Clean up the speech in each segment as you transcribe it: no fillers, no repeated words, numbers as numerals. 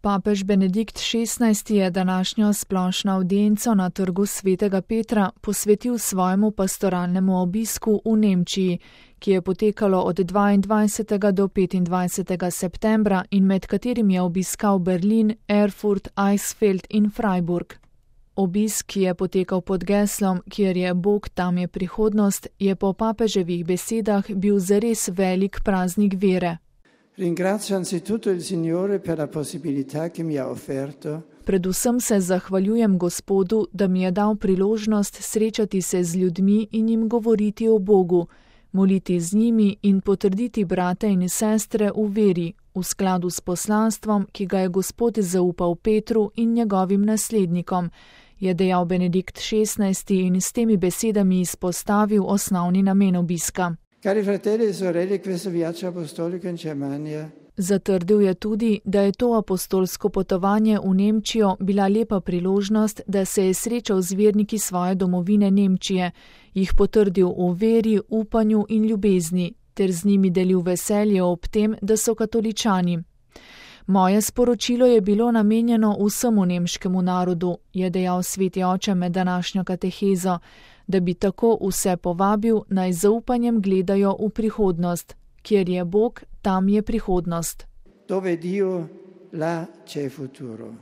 Papež Benedikt XVI je današnjo splošno avdienco na trgu Svetega Petra posvetil svojemu pastoralnemu obisku v Nemčiji, ki je potekalo od 22. do 25. septembra in med katerim je obiskal Berlin, Erfurt, Eisfeld in Freiburg. Obisk, ki je potekal pod geslom Kjer je Bog, tam je prihodnost, je po papeževih besedah bil zares velik praznik vere. Ringrazio anzitutto il Signore per la possibilità che mi ha offerto. Predvsem se zahvaljujem Gospodu, da mi je dal priložnost srečati se z ljudmi in jim govoriti o Bogu, moliti z njimi in potrditi brate in sestre v veri, v skladu s poslanstvom, ki ga je Gospod zaupal Petru in njegovim naslednikom, je dejal Benedikt XVI in s temi besedami izpostavil osnovni namen obiska. Cari fratelli e sorelle, questo viaggio apostolico in Germania. Zatrdil je tudi, da je to apostolsko potovanje v Nemčijo bila lepa priložnost, da se je srečal z verniki svoje domovine Nemčije, jih potrdil v veri, upanju in ljubezni, ter z njimi delil veselje ob tem, da so katoličani. Moje sporočilo je bilo namenjeno vsemu nemškemu narodu, je dejal sveti oče med današnjo katehezo, da bi tako vse povabil, naj zaupanjem gledajo v prihodnost. Kjer je Bog, tam je prihodnost. Dove Dio, là c'è futuro.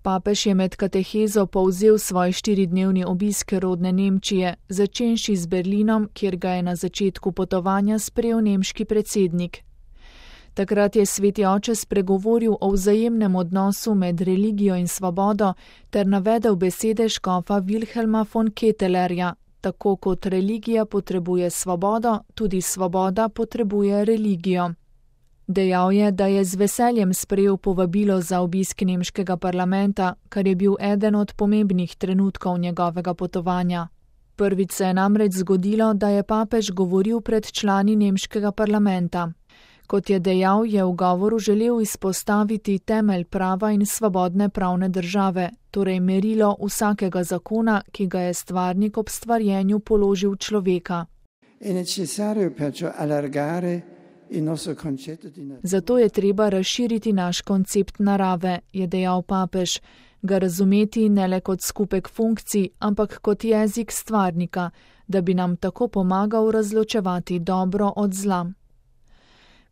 Papež je med katehezo povzel svoj 4-dnevni obisk rodne Nemčije, začenši z Berlinom, kjer ga je na začetku potovanja sprejel nemški predsednik. Takrat je sveti oče spregovoril o vzajemnem odnosu med religijo in svobodo ter navedel besede škofa Wilhelma von Kettelerja. Tako kot religija potrebuje svobodo, tudi svoboda potrebuje religijo. Dejal je, da je z veseljem sprejel povabilo za obisk nemškega parlamenta, kar je bil eden od pomembnih trenutkov njegovega potovanja. Prvič se je namreč zgodilo, da je papež govoril pred člani nemškega parlamenta. Kot je dejal, je v govoru želel izpostaviti temelj prava in svobodne pravne države, torej merilo vsakega zakona, ki ga je stvarnik ob stvarjenju položil človeka. Zato je treba razširiti naš koncept narave, je dejal papež, ga razumeti ne le kot skupek funkcij, ampak kot jezik stvarnika, da bi nam tako pomagal razločevati dobro od zla.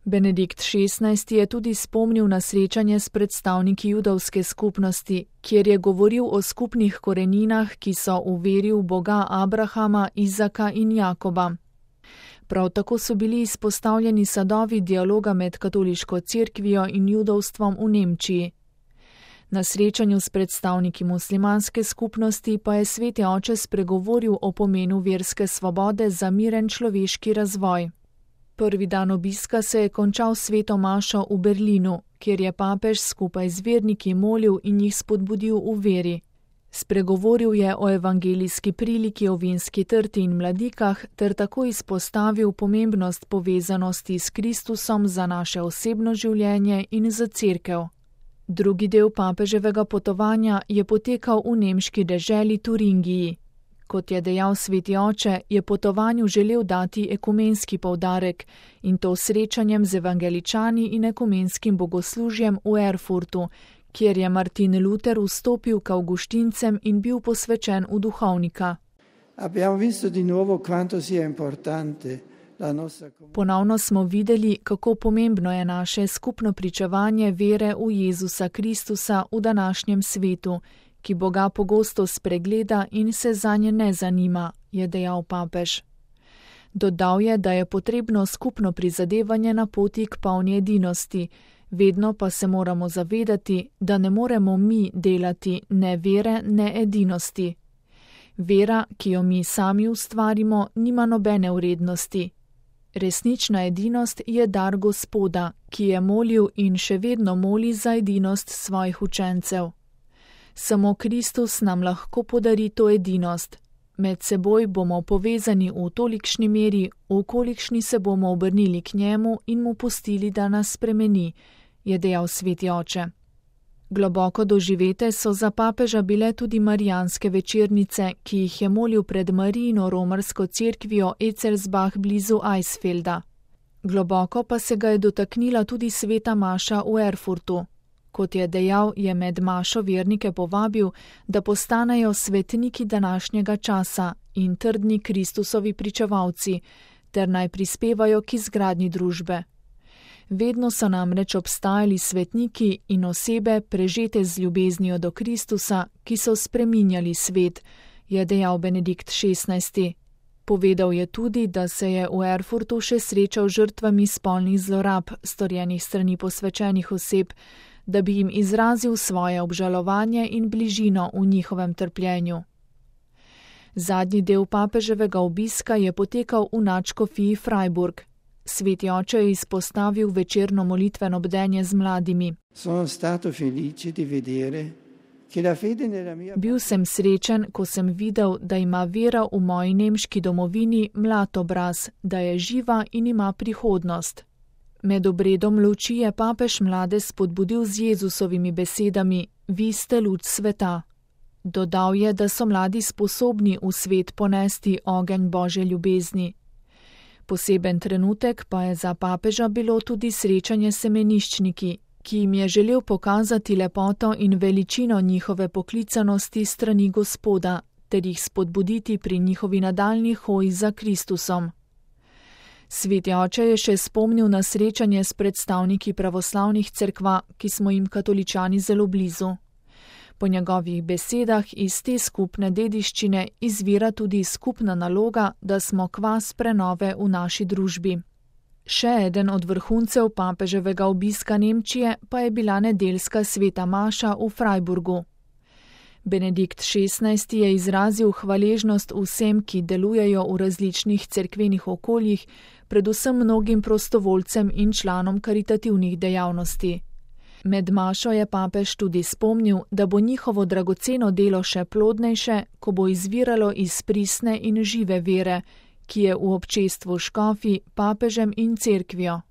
Benedikt XVI je tudi spomnil na srečanje s predstavniki judovske skupnosti, kjer je govoril o skupnih koreninah, ki so v veri v Boga Abrahama, Izaka in Jakoba. Prav tako so bili izpostavljeni sadovi dialoga med katoliško cerkvijo in judovstvom v Nemčiji. Na srečanju s predstavniki muslimanske skupnosti pa je sveti oče spregovoril o pomenu verske svobode za miren človeški razvoj. Prvi dan obiska se je končal sveto mašo v Berlinu, kjer je papež skupaj z verniki molil in jih spodbudil v veri. Spregovoril je o evangelijski priliki o vinski trti in mladikah ter tako izpostavil pomembnost povezanosti s Kristusom za naše osebno življenje in za cerkev. Drugi del papeževega potovanja je potekal v nemški deželi Turingiji. Kot je dejal sveti oče, je potovanju želel dati ekumenski poudarek in to srečanjem z evangeličani in ekumenskim bogoslužjem v Erfurtu, kjer je Martin Luther vstopil k avguštincem in bil posvečen v duhovnika. Ponovno smo videli, kako pomembno je naše skupno pričevanje vere v Jezusa Kristusa v današnjem svetu, ki Boga pogosto spregleda in se zanje ne zanima, je dejal papež. Dodal je, da je potrebno skupno prizadevanje na poti k polni edinosti, vedno pa se moramo zavedati, da ne moremo mi delati ne vere, ne edinosti. Vera, ki jo mi sami ustvarimo, nima nobene vrednosti. Resnična edinost je dar Gospoda, ki je molil in še vedno moli za edinost svojih učencev. Samo Kristus nam lahko podari to edinost. Med seboj bomo povezani v tolikšni meri, v kolikšni se bomo obrnili k njemu in mu pustili, da nas spremeni, je dejal sveti oče. Globoko doživete so za papeža bile tudi marijanske večernice, ki jih je molil pred Marijino romarsko cerkvijo Ecelsbach blizu Eisfelda. Globoko pa se ga je dotaknila tudi sveta maša v Erfurtu. Kot je dejal, je med mašo vernike povabil, da postanejo svetniki današnjega časa in trdni Kristusovi pričevalci, ter naj prispevajo k izgradnji družbe. Vedno so namreč obstajali svetniki in osebe prežete z ljubeznijo do Kristusa, ki so spreminjali svet, je dejal Benedikt XVI. Povedal je tudi, da se je v Erfurtu še srečal žrtvami spolnih zlorab, storjenih strani posvečenih oseb, da bi jim izrazil svoje obžalovanje in bližino v njihovem trpljenju. Zadnji del papeževega obiska je potekal v nadškofiji Freiburg. Sveti oče je izpostavil večerno molitveno bdenje z mladimi. Bil sem srečen, ko sem videl, da ima vera v moji nemški domovini mlad obraz, da je živa in ima prihodnost. Med obredom luči je papež mlade spodbudil z Jezusovimi besedami: Vi ste luč sveta. Dodal je, da so mladi sposobni v svet ponesti ogenj Božje ljubezni. Poseben trenutek pa je za papeža bilo tudi srečanje s semeniščniki, ki jim je želel pokazati lepoto in veličino njihove poklicanosti strani Gospoda, ter jih spodbuditi pri njihovi nadaljnji hoji za Kristusom. Sveti oče je še spomnil na srečanje s predstavniki pravoslavnih cerkva, ki smo jim katoličani zelo blizu. Po njegovih besedah iz te skupne dediščine izvira tudi skupna naloga, da smo kvas prenove v naši družbi. Še eden od vrhuncev papeževega obiska Nemčije pa je bila nedeljska sveta maša v Freiburgu. Benedikt XVI. Je izrazil hvaležnost vsem, ki delujejo v različnih cerkvenih okoljih, predvsem mnogim prostovoljcem in članom karitativnih dejavnosti. Med mašo je papež tudi spomnil, da bo njihovo dragoceno delo še plodnejše, ko bo izviralo iz pristne in žive vere, ki je v občestvu škofi, papežem in cerkvijo.